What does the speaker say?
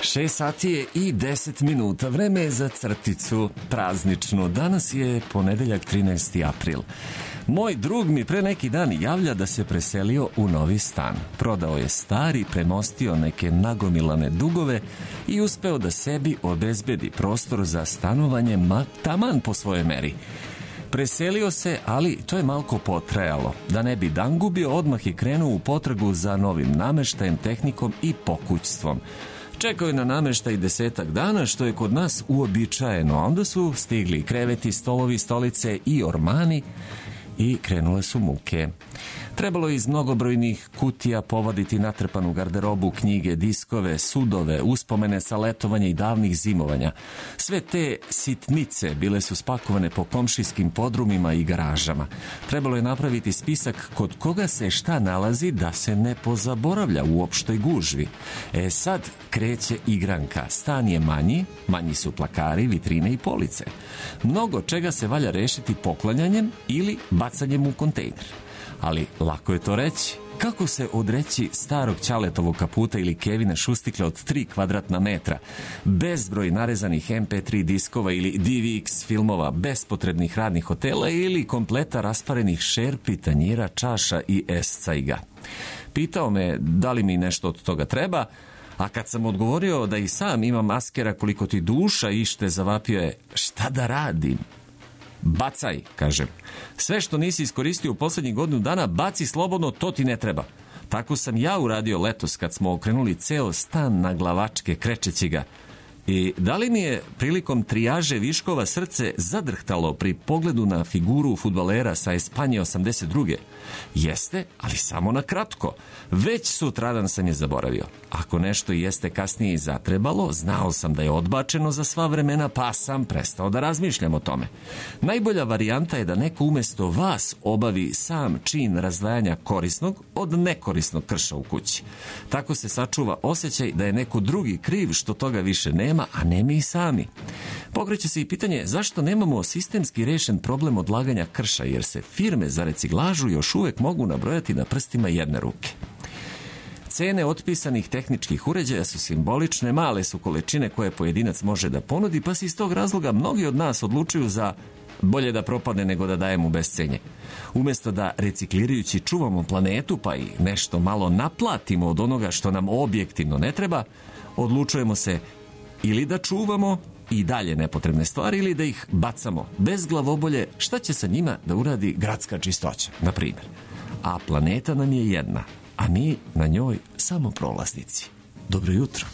6 sati je i 10 minuta. Vreme je za crticu prazničnu. Danas je ponedeljak 13. april. Moj drug mi pre neki dan javlja da se preselio u novi stan. Prodao je stari, premostio neke nagomilane dugove i uspeo da sebi obezbedi prostor za stanovanje taman po svojoj meri. Preselio se, ali to je malko potrajalo. Da ne bi dan gubio, odmah je krenuo u potragu za novim nameštajem, tehnikom i pokućstvom. Čekao je na nameštaj 10 dana, što je kod nas uobičajeno. Onda su stigli kreveti, stolovi, stolice i ormani i krenule su muke. Trebalo je iz mnogobrojnih kutija povaditi natrpanu garderobu, knjige, diskove, sudove, uspomene sa letovanja i davnih zimovanja. Sve te sitnice bile su spakovane po komšijskim podrumima i garažama. Trebalo je napraviti spisak kod koga se šta nalazi da se ne pozaboravlja u opštoj gužvi. Sad kreće igranka. Stan je manji su plakari, vitrine i police. Mnogo čega se valja rešiti poklanjanjem ili bacanjem u kontejner. Ali lako je to reći. Kako se odreći starog Ćaletovog kaputa ili Kevina šustikla od 3 kvadratna metra, bezbroj narezanih MP3 diskova ili DVX filmova, bespotrebnih radnih hotela ili kompleta rasparenih šerpi, tanjira, čaša i escajga. Pitao me da li mi nešto od toga treba, a kad sam odgovorio da i sam imam maskera koliko ti duša ište, zavapio je: šta da radim? Bacaj, kažem. Sve što nisi iskoristio u poslednjih godinu dana, baci slobodno, to ti ne treba. Tako sam ja uradio letos kad smo okrenuli ceo stan na glavačke, krečeći ga. I da li mi je prilikom trijaže viškova srce zadrhtalo pri pogledu na figuru fudbalera sa Espanje 82. Jeste, ali samo na kratko. Već sutradan sam je zaboravio. Ako nešto jeste kasnije i zatrebalo, znao sam da je odbačeno za sva vremena, pa sam prestao da razmišljam o tome. Najbolja varijanta je da neko umesto vas obavi sam čin razdvajanja korisnog od nekorisnog krša u kući. Tako se sačuva osjećaj da je neko drugi kriv što toga više nema, a ne mi sami. Pokreće se i pitanje zašto nemamo sistemski rešen problem odlaganja krša, jer se firme za reciklažu još uvek mogu nabrojati na prstima jedne ruke. Cene otpisanih tehničkih uređaja su simbolične, male su količine koje pojedinac može da ponudi, pa se iz tog razloga mnogi od nas odlučuju za bolje da propadne nego da dajemo bez cenje. Umesto da reciklirajući čuvamo planetu pa i nešto malo naplatimo od onoga što nam objektivno ne treba, odlučujemo se ili da čuvamo i dalje nepotrebne stvari ili da ih bacamo bez glavobolje šta će sa njima da uradi gradska čistoća, na primjer. A planeta nam je jedna, a mi na njoj samo prolaznici. Dobro jutro.